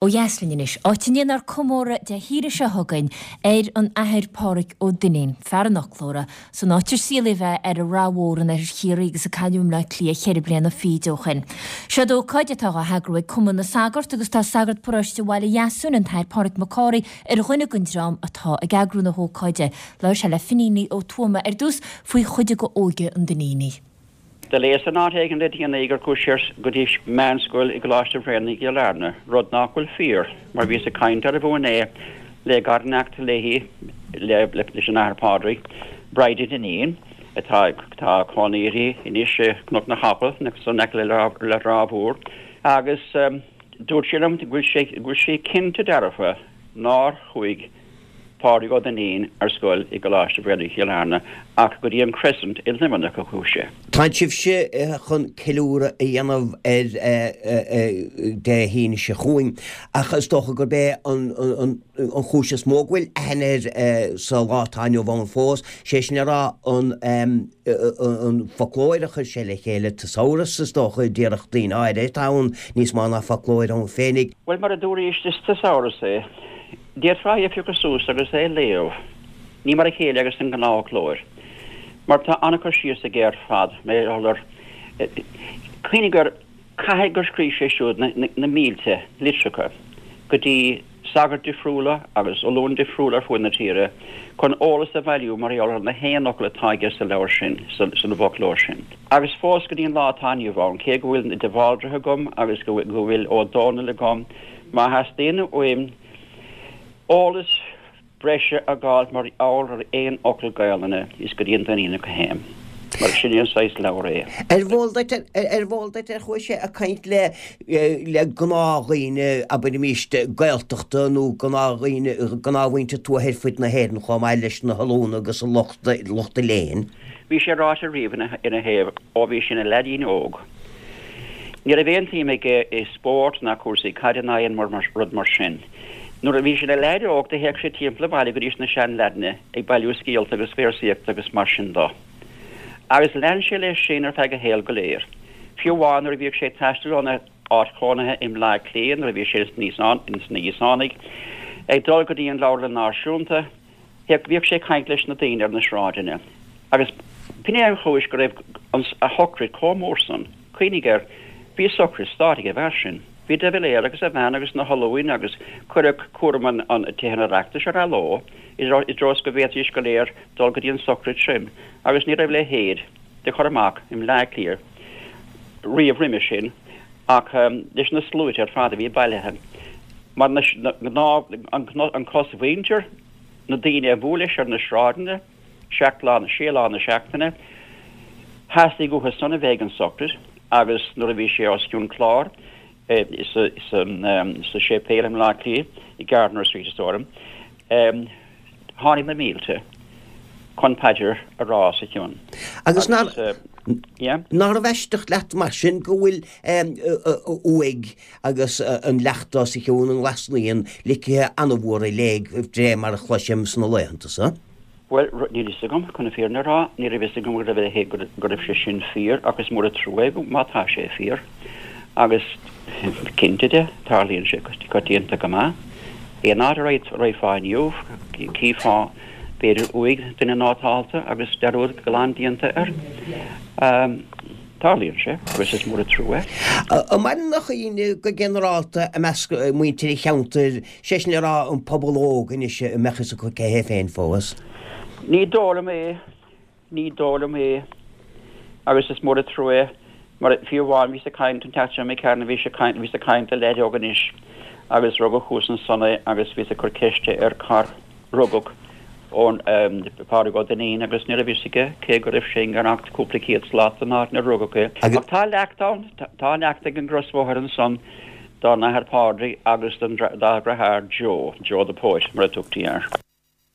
Ó dheas linn anois, áit a ndéanfar comóradh Dé hAoine seo chugainn ar an Athair Pádraig Ó Duinnín, fear an fhoclóra, san áit ar saolaíodh é ar an Rath Mhór in oirthear Chiarraí agus a cailleadh i mBleá Cliath cheithre bliana fichid ó shin. Seod ócáid atá á heagrú ag Cumann na Sagart agus tá sagart paróiste Bhaile Dheasúin, an tAthair Pádraig Mac Cárthaigh, ar dhuine den dream atá ag eagrú na hócáide. Labhair sé le Finín Ó Tuama ar dtús faoi chuid de óige an Duinnínigh. Do léas in áit éigin le déanaí gur chuaigh sé go dtí meánscoil i gColáiste Bhréanainn i gCill Airne, rud nach bhfuil fíor, mar bhíos ag caint arbh fhiú é le garineacht léi, leis an Athair Pádraig, Bridie Dineen, atá tá cónaí uirthi anois i gCnoc na gCapall, san aice le Ráth Mhór, agus dúirt sí liom go bhfuil sé, go bhfuil sí cinnte dearfa nár chuaigh Pádraig Ó Duinnín ar scoil i gColáiste Bhréanainn Chill Airne ach go dtí an Crescent i Luimneach a chuaigh sé. Tá sibhse chun ceiliúradh a dhéanamh air Dé hAoine seo chugainn ach is dócha gurb é an chúis is mó go bhfuil aithne air sa lá atá inniu ann fós, sé sin le rá an foclóir a chuir sé le chéile, Thesaurus is dócha, déarfadh daoine áirithe atá ann níos mó ná foclóir ann féinig. Bhuel, mar a dúraís, is thesaurus é. D'fhéadfá é a phiocadh suas agus é a léamh. Ní mar a chéile agus an gnáthfhoclóir. Mar tá an-chur síos aige ar fad, mar gheall ar. Cuimhnigh gur, caithfidh gur scríobh sé siúd na mílte litreacha go dtí sagairt difriúla agus ollúna difriúla ar fuaid na tíre chun eolas a bhailiú mar gheall ar na haon fhocal atá aige sa leabhar sin, san bhfoclóir sin. Agus fós go dtí an lá atá inniu ann, cé go bhfuil de Bhaldraithe agam agus go bhfuil Ó Dónaill agam, Má theastaíonn uaim eolas breise a fháil mar gheall ar aon fhocal Gaelainne, is go dtí an Duinníneach a théim, mar sin é an saghas leabhar é. Ar bh'eol duit, ar bh'eol duit ar chuaigh sé ag caint le, le gnáthdhaoine, abraimis, Gaeltachta nó gnáthdhaoine, gnáthmhuintir tuaithe ar fud na hÉireann chomh maith leis na hollúna agus an lucht, lucht léinn? Bhí sé ráite riamh ina thaobh ó bhí sé ina leaidín óg. Ní raibh aon tsuim aige i spórt ná cúrsaí caide ná aon rud mar sin. Nuair a bhí sé ina leaid óg do théadh sé timpeall an bhaile go dtí na seanleaideanna ag bailiú scéalta agus véarsaíochta agus mar sin do. Agus lean sé leis sin ar feadh a shaoil go léir. Fiú amháin nuair a bhíodh sé ag taisteal óna áit chónaithe i mBleá Cliath nuair a bhí sé sna Íosánaigh ag dul go dtí an Leabharlann Náisiúnta, Théadh, bhíodh sé ag caint leis na daoine ar na sráideanna agus b'shin é an chúis go raibh an, a shocraid chomh mór san. Cuimhnigh air, bhí socraid stáit ag an bhfear sin. Bhí de Valera agus a bhean agus na hollúin agus cuireadh cúram an, an, Tithe an Oireachtais ar athló i dtreo is go bhféadfaidís go léir dul go dtí an socraid sin agus ní raibh a leithéid de chur amach i mBleá Cliath riamh roimhe sin ach leis na sluaite ar fad a bhí bailithe mar na, na, an, an chosmhuintir, na daoine a bhuail leis ar na sráideanna, seacht lá, sé lá na seachtaine, theastaigh uathu san a bheith ag an socraid agus nuair a bhí sé os cionn cláir sa, sa séipéal i mBleá Cliath, i Gardiner Street is dóigh liom, tháinig na mílte chun paidir a rá os a chionn. Agus nárbh aisteach leat mar sin go bhfuil uaigh agus an leacht os a chionn i nGlas Naíon ligthe an-mhór i léig de réir mar a chloisim sna laethanta so. Bhuel, níl fhios agam, chun na fírinne a rá, ní raibh fhios agam go raibh go raibh sé sin fíor ach is mór an trua é má tá sé fíor. Agus cinnte de, tarlaíonn sé coitianta go maith. Aon áit a raghfá inniu, cífeá b'fhéidir uaigh duine nótálta agus dearúd glan déanta air. Tarlaíonn sé, agus is mór an trua é. An maireann a chuimhne go ginearálta i measc muintir an cheantair, sé sin le rá an pobal óg anois a mbeadh fhios acu cé hé féin fós? Ní dóigh liom é. Ní dóigh liom é. Agus is mór an trua é, mar fiú amháin bhíos ag caint an tseachtain seo imigh tharainn, bhíos ag caint, bhíos ag caint le leaid óg anois agus rugadh thuas ansan é agus bhíos ag cur ceiste air cár rugadh Pádraig Ó Duinnín agus ní raibh fhios aige cé go raibh sé i ngar ach cúpla céad slat don áit inar rugadh é. Ach tá leacht ann, tá leacht ag an gcrosbhóthar ansan dá n-athair Pádraig agus dá dheartháir Joe, Joe the Poet mar a tugtaí air.